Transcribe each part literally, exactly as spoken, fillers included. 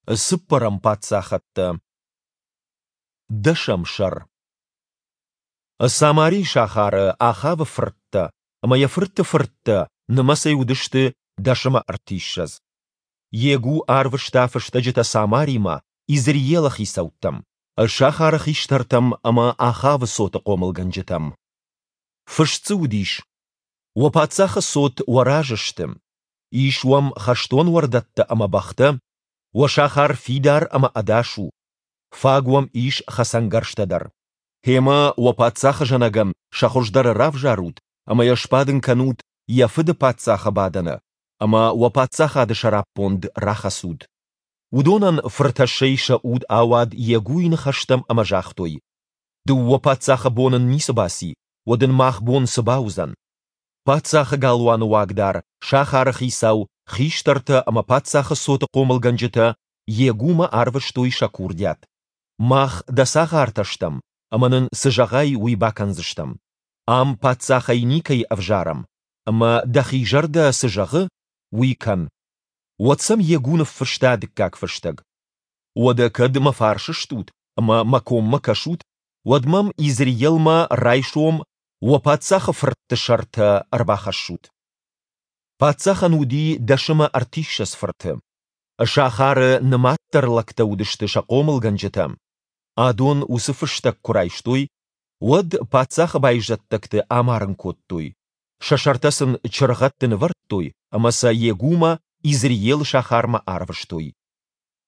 Цыппӕрӕм паддзахӕдтӕ. Дӕсӕм сӕр. Самарийы сахары Ахавы фырттӕ ӕмӕ йӕ фырты фырттӕ нымӕцӕй уыдысты дӕс ӕмӕ ӕртиссӕдз. Йегу арвыста фыстӕджытӕ Самаримӕ, Изреелы хицӕуттӕм, сахары хистӕртӕм ӕмӕ Ахавы цоты хъомылгӕнджытӕм. Фыст дзы уыдис: Уӕ паддзахы цот уӕ разы сты. Ис уӕм хӕстон уӕрдӕттӕ ӕмӕ бӕхтӕ. Уӕ сахар фидар ӕмӕ ӕдас у. Фаг уӕм ис хӕцӕнгӕрзтӕ дӕр. Гъемӕ уӕ паддзахы зӕнӕгӕн сӕ хуыздӕры равзарут ӕмӕ йӕ сбадын кӕнут йӕ фыды паддзахы бадӕны, ӕмӕ уӕ паддзахады сӕраппонд рахӕцут. Уыдонӕн фыртӕссӕй сӕ уд ауад Йегуйы ныхӕстӕм ӕмӕ загътой: Дыууӕ паддзахы бон ын ницы баци, уӕд ын мах бон цы бауыдзӕн? Паддзахы галуаны уагдар, сахары хицау, хистӕртӕ ӕмӕ паддзахы цоты хъомылгӕнджытӕ Йегумӕ арвыстой сӕ курдиат: Мах дӕ цагъартӕ стӕм, ӕмӕ нын цы зӕгъай, уый бакӕндзыстӕм. Ам паддзахӕй никӕй ӕвзарӕм, ӕмӕ, дӕхи зӕрдӕ цы зӕгъы, уый кӕн. Уӕд сӕм Йегу ныффыста дыккаг фыстӕг: Уӕдӕ кӕд мӕ фарс стут ӕмӕ мӕ коммӕ кӕсут, уӕд мӕм Изреелмӕ райсом уӕ паддзахы фыртты сӕртӕ ӕрбахӕссут. Паддзахӕн уыди дӕс ӕмӕ ӕртиссӕдз фырты. Сахары нымаддӕр лӕгтӕ уыдысты сӕ хъомылгӕнджытӕ. Адон уыцы фыстӕг куы райстой, уӕд паддзахы байзӕддӕгты амарын кодтой, сӕ сӕртӕ сын чыргъӕдты нывӕрдтой ӕмӕ сӕ Йегумӕ Изреелы сахармӕ арвыстой.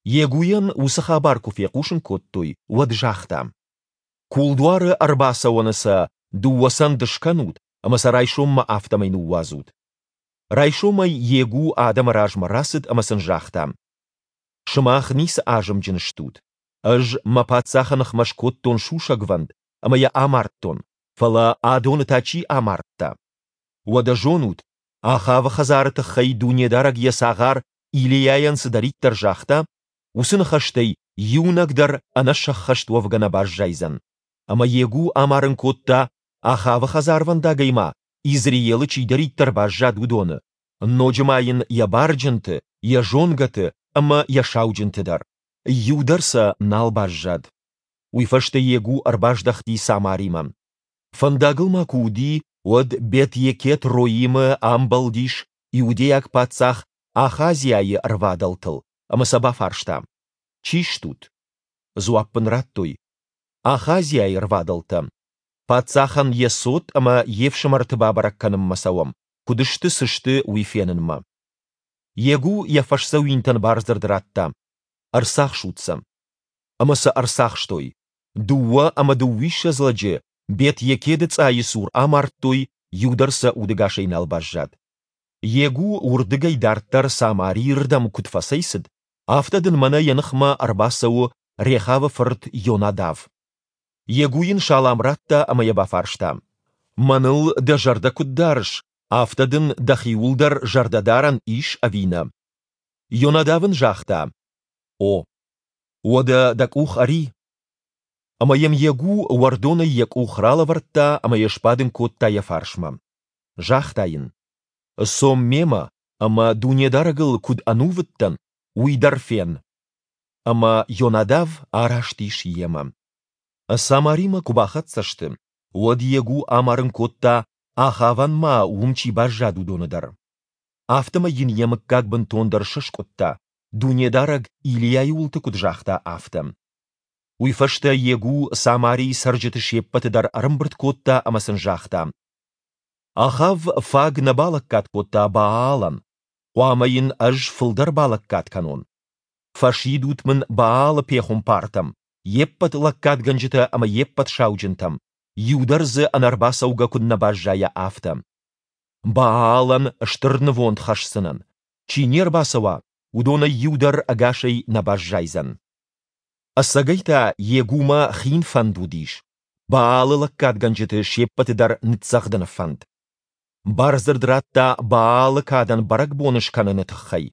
Йегуйӕн уыцы хабар куы фехъусын кодтой, уӕд загъта: Кулдуары ӕрбацӕуӕны сӕ дыууӕ цӕнды скӕнут ӕмӕ сӕ райсоммӕ афтӕмӕй ныууадзут. Райсомӕй Йегу адӕмы размӕ рацыд ӕмӕ сын загъта: Сымах ницы азымджын стут. Ӕз мӕ паддзахы ныхмӕ скодтон сусӕгвӕнд ӕмӕ йӕ амардтон, фӕлӕ адоны та чи амардта? Уӕдӕ зонут, Ахавы хӕдзары тыххӕй Дунедарӕг йӕ цагъар Илийайӕн цыдӕриддӕр загъта, уыцы ныхӕстӕй иунӕг дӕр ӕнӕсӕххӕст уӕвгӕ нӕ баззайдзӕн. Ӕмӕ Йегу амарын кодта, Ахавы хӕдзарвӕндагӕй ма Изреелы чидӕриддӕр баззад, уыдоны, ноджы ма йын йӕ барджынты, йӕ зонгӕты ӕмӕ йӕ сауджынты дӕр. Иу дӕр сӕ нал баззад. Уый фӕстӕ Йегу ӕрбаздӕхти Самаримӕ. Фӕндагыл ма куы уыди, уӕд Бет-Екед-Роимы амбӕлдис иудейаг паддзах Ахазиайы ӕрвадӕлтыл ӕмӕ сӕ бафарста: Чи стут? Дзуапп ын радтой: Ахазиайы рвадӕлтӕ. Паддзахӕн йӕ цот ӕмӕ йе фсымӕрты бабӕрӕг кӕнынмӕ цӕуӕм, куыд сты, цы сты, уый фенынмӕ. Йегу йӕ фӕсдзӕуинтӕн бардзырд радта: Ӕрцахсут сӕ. Ӕмӕ сӕ ӕрцахстой. Дыууӕ ӕмӕ дыууиссӕдз лӕджы Бет-Екеды цъайы цур амардтой, иу дӕр сӕ удӕгасӕй нал баззад. Йегу уырдыгӕй дарддӕр Самарийы рдӕм куыд фӕцӕйцыд, афтӕ дын мӕнӕ йӕ ныхмӕ ӕрбацӕуы Рехавы фырт Йонадав. Йегу йын салам радта ӕмӕ йӕ бафарста: Мӕныл дӕ зӕрдӕ куыд дарыс, афтӕ дын дӕхиуыл дӕр зӕрдӕ дарӕн ис ӕви нӕ? Йонадав ын загъта: О. Уӕдӕ дӕ къух ӕри. Ӕмӕ йӕм Йегу уӕрдонӕй йӕ къух ралӕвӕрдта ӕмӕ йӕ сбадын кодта йӕ фарсмӕ. Загъта йын: Цом мемӕ, ӕмӕ Дунедарӕгыл куыд ӕнувыд дӕн, уый дӕр фен. Ӕмӕ Йонадав араст ис йемӕ. Самаримӕ куы бахӕццӕ сты, уӕд Йегу амарын кодта, Ахавӕн ма уым чи баззад, уыдоны дӕр. Афтӕмӕй йын йӕ мыггаг бынтондӕр сыскъуыдта, Дунедарӕг Илийайы уылты куыд загъта, афтӕ. Уый фӕстӕ Йегу Самарийы цӕрджыты се ппӕты дӕр ӕрӕмбырд кодта ӕмӕ сын загъта: Ахав фаг нӕ балӕггад кодта Баалӕн, хъуамӕ йын ӕз фылдӕр балӕггад кӕнон. Фӕсидут мын Баалы пехуымпартӕм, йе ппӕт лӕггадгӕнджытӕ ӕмӕ йе ппӕт сауджынтӕм, иу дӕр дзы ӕнӕрбацӕугӕ куыд нӕ баззайа, афтӕ. Баалӕн стыр нывонд хӕсдзынӕн. Чи не рбацӕуа, уыдонӕй иу дӕр ӕгасӕй нӕ баззайдзӕн. Ӕцӕгӕй та Йегумӕ хин фӕнд уыдис, Баалы лӕггадгӕнджыты се ппӕты дӕр ныццӕгъдыны фӕнд. Бардзырд радта Баалы кадӕн бӕрӕгбон скӕныны тыххӕй.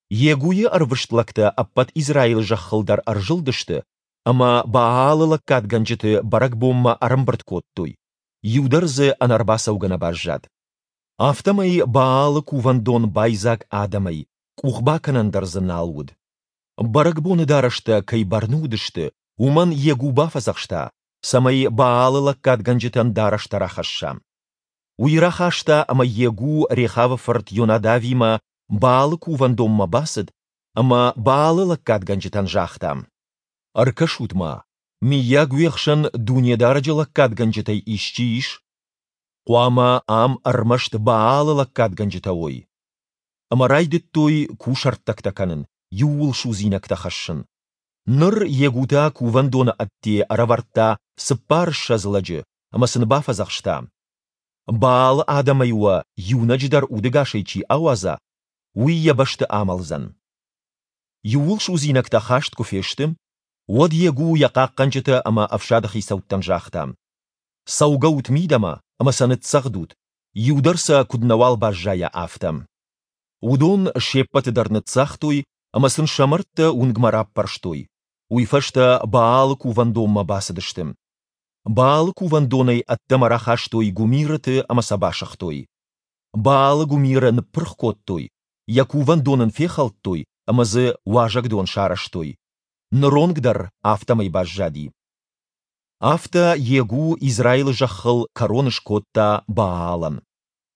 Йегуйы ӕрвыст лӕгтӕ ӕппӕт Израилы зӕххыл дӕр ӕрзылдысты ӕмӕ Баалы лӕггадгӕнджыты бӕрӕгбонмӕ ӕрӕмбырд кодтой, иу дӕр дзы ӕнӕрбацӕугӕ нӕ баззад. Афтӕмӕй Баалы кувӕндон байдзаг адӕмӕй, къух бакӕнӕн дӕр дзы нал уыд. Бӕрӕгбоны дарӕстӕ кӕй бӕрны уыдысты, уымӕн Йегу бафӕдзӕхста, цӕмӕй Баалы лӕггадгӕнджытӕн дарӕстӕ рахӕсса. Уый рахаста ӕмӕ Йегу Рехавы фырт Йонадавимӕ Баалы кувӕндонмӕ бацыд ӕмӕ Баалы лӕггадгӕнджытӕн загъта: Ӕркӕсут-ма, мыййаг уе хсӕн Дунедарӕджы лӕггадгӕнджытӕй исчи ис? Хъуамӕ ам ӕрмӕст Баалы лӕггадгӕнджытӕ уой. Ӕмӕ райдыдтой кусӕрттӕгтӕ кӕнын, иууылсудзинӕгтӕ хӕссын. Ныр Йегу та кувӕндоны ӕдде ӕрӕвӕрдта цыппарыссӕдз лӕджы ӕмӕ сын бафӕдзӕхста: Баалы адӕмӕй уӕ иунӕджы дӕр удӕгасӕй чи ауадза, уый йӕ бӕсты амӕлдзӕн. Иууылсудзинӕгтӕ хаст куы фесты, уӕд Йегу йӕ хъахъхъӕнджытӕ ӕмӕ ӕфсады хицӕуттӕн загъта: Цӕугӕут мидӕмӕ ӕмӕ сӕ ныццӕгъдут, иу дӕр сӕ куыд нӕуал баззайа, афтӕ. Уыдон се ппӕты дӕр ныццагътой ӕмӕ сын сӕ мӕрдтӕ уынгмӕ раппӕрстой. Уый фӕстӕ Баалы кувӕндонмӕ бацыдысты. Баалы кувӕндонӕй ӕддӕмӕ рахастой гуымирыты ӕмӕ сӕ басыгътой. Баалы гуымиры ныппырх кодтой, йӕ кувӕндон ын фехӕлдтой ӕмӕ дзы уазӕгдон сарӕзтой. Ныронг дӕр афтӕмӕй баззади. Афтӕ Йегу Израилы зӕххыл кӕрон скодта Баалӕн.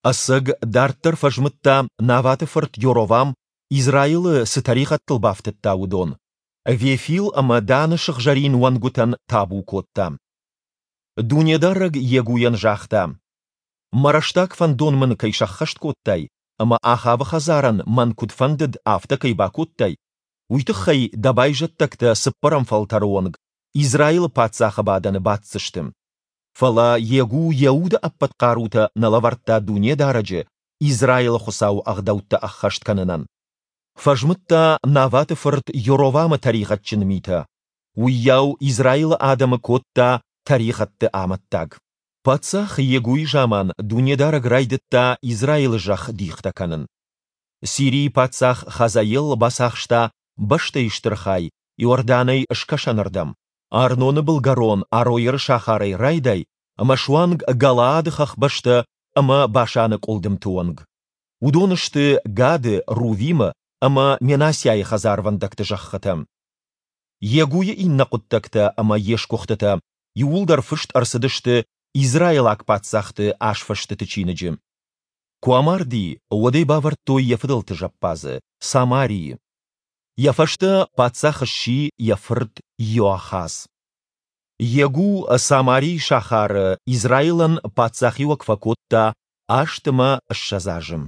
Ӕцӕг, дарддӕр фӕзмыдта, Наваты фырт Йоровам Израилы цы тӕригъӕдтыл бафтыдта, уыдон. Вефил ӕмӕ Даны сыгъзӕрин уӕнгуытӕн табу кодта. Дунедарӕг Йегуйӕн загъта: Мӕ рӕстаг фӕндон мын кӕй сӕххӕст кодтай ӕмӕ Ахавы хӕдзарӕн мӕн куыд фӕндыд, афтӕ кӕй бакодтай, уый тыххӕй дӕ байзӕддӕгтӕ цыппӕрӕм фӕлтӕры онг Израилы паддзахы бадӕны баддзысты. Фӕлӕ Йегу йӕ уды ӕппӕт хъарутӕ нӕ лӕвӕрдта Дунедарӕджы, Израилы Хуыцауы ӕгъдӕуттӕ ӕххӕст кӕнынӕн. Фӕзмыдта Наваты фырт Йоровамы тӕригъӕдджын митӕ. Уыйау Израилы адӕмы кодта тӕригъӕдты амӕттаг. Паддзах Йегуйы заман Дунедарӕг райдыдта Израилы зӕхх дихтӕ кӕнын. Сирийы паддзах Хазаел бацахста бӕстӕйы стыр хай Иорданӕй скӕсӕнырдӕм, Арноны былгӕрон Ароеры сахарӕй райдай ӕмӕ суанг Галаады хӕхбӕстӕ ӕмӕ Башаны къуылдымты онг. Уыдон сты Гады, Рувимы ӕмӕ Менассиайы хӕдзарвӕндӕгты зӕххытӕ. Йегуйы иннӕ хъуыддӕгтӕ ӕмӕ йе сгуыхтытӕ иууылдӕр фыст ӕрцыдысты Израилаг паддзӕхты азфыстыты чиныджы. Куы амарди, уӕд ӕй бавӕрдтой йӕ фыдӕлты зӕппадзы, Самарийы. Йӕ фӕстӕ паддзах сси йӕ фырт Иоахаз. Йегу Самарийы сахары Израилӕн паддзахиуӕг фӕкодта аст ӕмӕ ссӕдз азы.